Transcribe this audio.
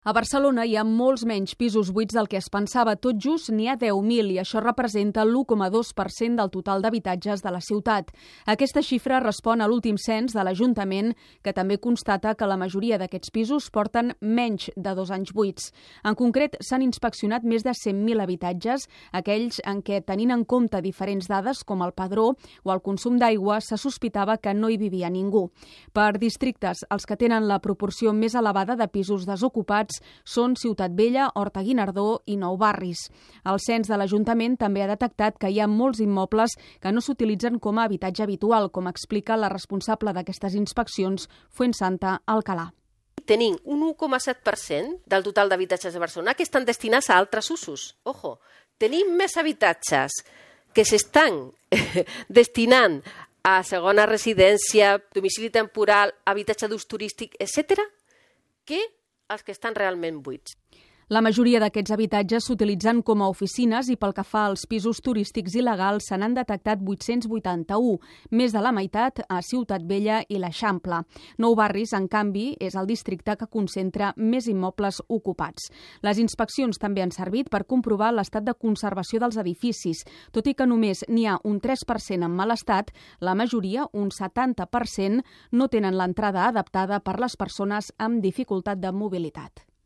A Barcelona hi ha molts menys pisos buits del que es pensava. Tot just n'hi ha 10.000 i això representa l'1,2% del total d'habitatges de la ciutat. Aquesta xifra respon a l'últim cens de l'Ajuntament, que també constata que la majoria d'aquests pisos porten menys de 2 anys buits. En concret, s'han inspeccionat més de 100.000 habitatges, aquells en què, tenint en compte diferents dades com el padró o el consum d'aigua, se sospitava que no hi vivia ningú. Per districtes, els que tenen la proporció més elevada de pisos desocupats són Ciutat Vella, Horta-Guinardó i Nou Barris. El cens de l'Ajuntament també ha detectat que hi ha molts immobles que no s'utilitzen com a habitatge habitual, com explica la responsable d'aquestes inspeccions, Fuensanta Alcalà. Tenim un 1,7% del total d'habitatges de Barcelona que estan destinats a altres usos. Ojo, tenim més habitatges que s'estan destinant a segona residència, domicili temporal, habitatge d'ús turístic, etc., que els que estan realment buits. La majoria d'aquests habitatges s'utilitzen com a oficines i pel que fa als pisos turístics il·legals se n'han detectat 881, més de la meitat a Ciutat Vella i l'Eixample. Nou Barris, en canvi, és el districte que concentra més immobles ocupats. Les inspeccions també han servit per comprovar l'estat de conservació dels edificis. Tot i que només n'hi ha un 3% en mal estat, la majoria, un 70%, no tenen l'entrada adaptada per les persones amb dificultat de mobilitat.